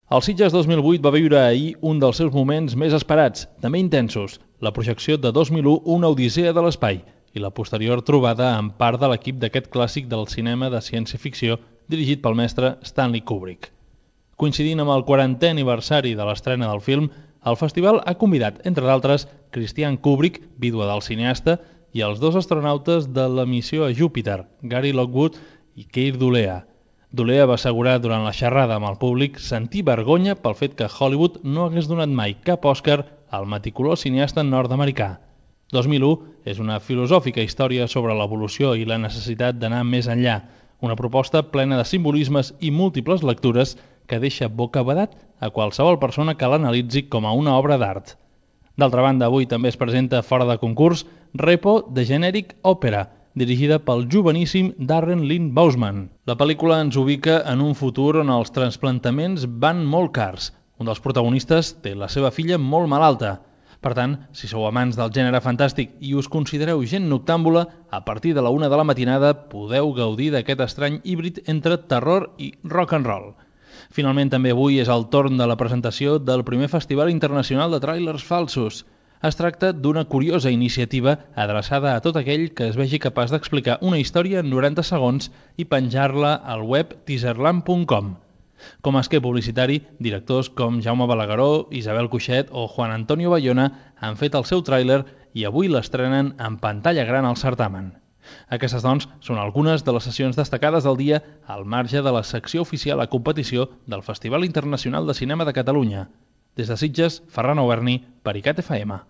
El Sitges 2008 va viure ahir un dels seus moments més esperats, també intensos, la projecció de 2001 Una odissea de l'espai i la posterior trobada amb part de l'equip d'aquest clàssic del cinema de ciència-ficció dirigit pel mestre Stanley Kubrick. Coincidint amb el 40è aniversari de l'estrena del film, el festival ha convidat, entre d'altres, Christiane Kubrick, vídua del cineasta, i els dos astronautes de la missió a Júpiter, Gary Lockwood i Keir Dullea. Dullea va assegurar durant la xerrada amb el públic sentir vergonya pel fet que Hollywood no hagués donat mai cap Òscar al meticulós cineasta nord-americà. 2001 és una filosòfica història sobre l'evolució i la necessitat d'anar més enllà, una proposta plena de simbolismes i múltiples lectures que deixa bocabadat a qualsevol persona que l'analitzi com a una obra d'art. D'altra banda, avui també es presenta fora de concurs Repo The Generic Opera, dirigida pel joveníssim Darren Lynn Bousman. La pel·lícula ens ubica en un futur on els trasplantaments van molt cars. Un dels protagonistes té la seva filla molt malalta. Per tant, si sou amants del gènere fantàstic i us considereu gent noctàmbula, a partir de la 1 de la matinada podeu gaudir d'aquest estrany híbrid entre terror i rock and roll. Finalment, també avui és el torn de la presentació del primer Festival Internacional de Tràilers Falsos. Es tracta d'una curiosa iniciativa adreçada a tot aquell que es vegi capaç d'explicar una història en 90 segons i penjar-la al web teaserland.com. Com a esquer publicitari, directors com Jaume Balagueró, Isabel Cuixet o Juan Antonio Bayona han fet el seu tràiler i avui l'estrenen en pantalla gran al certamen. Aquestes, doncs, són algunes de les sessions destacades del dia al marge de la secció oficial a competició del Festival Internacional de Cinema de Catalunya. Des de Sitges, Ferran Auberni, per ICAT FM.